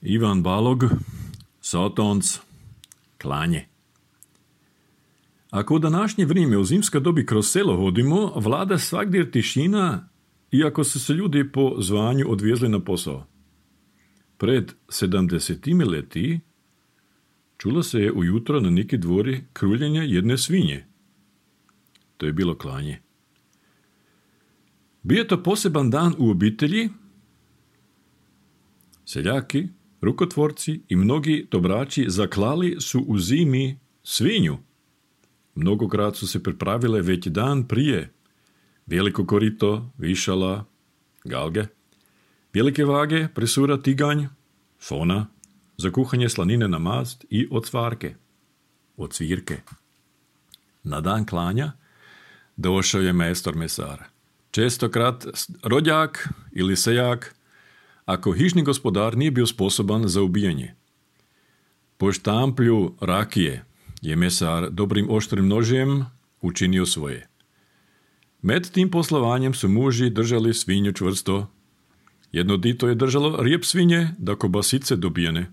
Ivan Balog, Sotonc, klanje. Ako u današnje vrijeme u zimska dobi kroz selo hodimo, vlada svagdje tišina, iako su se ljudi po zvanju odvezli na posao. Pred 70 leti čulo se je ujutro na neki dvori kruljenja jedne svinje. To je bilo klanje. Bio to poseban dan u obitelji. Seljaki, rukotvorci i mnogi dobrači zaklali su u zimi svinju. Mnogokrat su se pripravile već dan prije. Veliko korito, višala, galge, velike vage, presura tiganj, fona, za kuhanje slanine na mast i od cvirke. Na dan klanja došao je majstor mesara. Čestokrat rođak ili sejak, ako hižni gospodar nije bio sposoban za ubijanje. Po štamplju rakije je mesar dobrim oštrim nožem učinio svoje. Med tim poslovanjem su muži držali svinju čvrsto. Jedno dito je držalo rijep svinje da kobasice dobijene.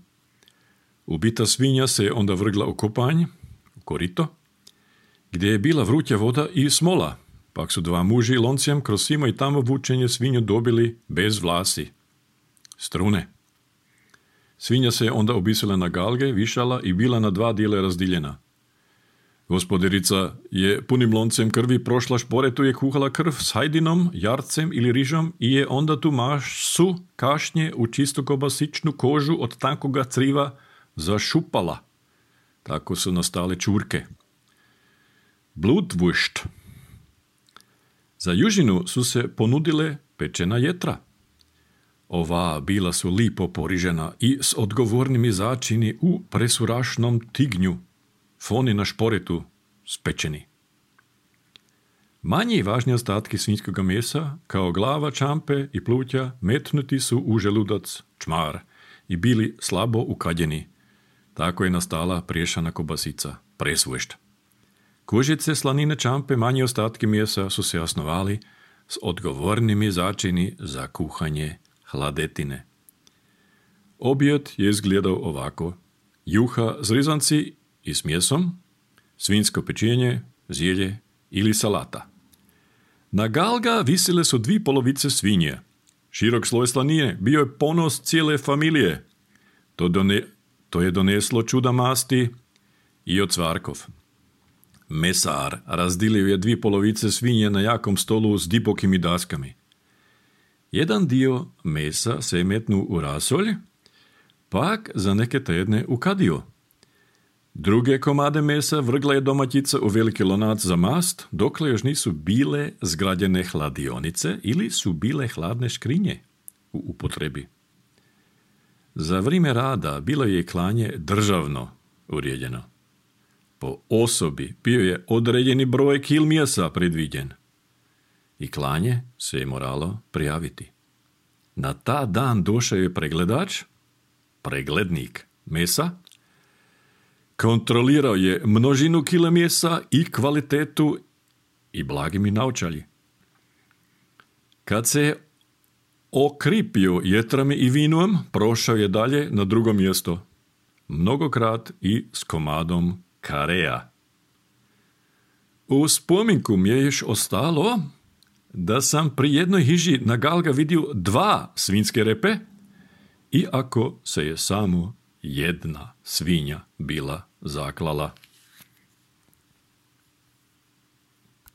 Ubita svinja se onda vrgla u kopanj, u korito, gdje je bila vruća voda i smola, pak su dva muži loncem kroz svima i tamo vučenje svinju dobili bez vlasi. Strune. Svinja se onda obisila na galge, višala i bila na dva dijela razdiljena. Gospodarica je punim loncem krvi prošla šporetu je kuhala krv s hajdinom, jarcem ili rižom i je onda tu masu kašnje u čisto kobasičnu kožu od tankoga criva zašupala. Tako su nastale čurke. Blutwurst. Za južinu su se ponudile pečena jetra. Ova bila su lipo porižena i s odgovornimi začini u presurašnom tignju, foni na šporetu spečeni. Manje i važnije ostatki svinjskoga mesa, kao glava, čampe i pluća, metnuti su u želudac, čmar, i bili slabo ukadjeni. Tako je nastala priješana kobasica, presvujšt. Kožice, slanine, čampe, manje ostatki mesa su se osnovali s odgovornimi začini za kuhanje hladetine. Objed je izgledao ovako. Juha s rizanci i s mjesom, svinjsko pečenje, zjelje ili salata. Na galga visile su 2 polovice svinje. Širok sloj slanine bio je ponos cijele familije. To je doneslo čuda masti i od cvarkov. Mesar razdilio je 2 polovice svinje na jakom stolu s dibokim daskami. Jedan dio mesa se je metnuo u rasolj, pak za neke tjedne u kadio. Druge komade mesa vrgla je domaćica u veliki lonac za mast, dokle još nisu bile zgrađene hladionice ili su bile hladne škrinje u upotrebi. Za vrijeme rada bilo je klanje državno uređeno. Po osobi bio je određeni broj kil mjesa predviđen. I klanje se je moralo prijaviti. Na ta dan došao je preglednik mesa, kontrolirao je množinu kila mjesa i kvalitetu i blagi mi naočalji. Kad se je okripio jetrami i vinom, prošao je dalje na drugo mjesto, mnogokrat i s komadom kareja. U spominku mi je još ostalo da sam pri jednoj hiži na galga vidio 2 svinjske repe, iako se je samo jedna svinja bila zaklala.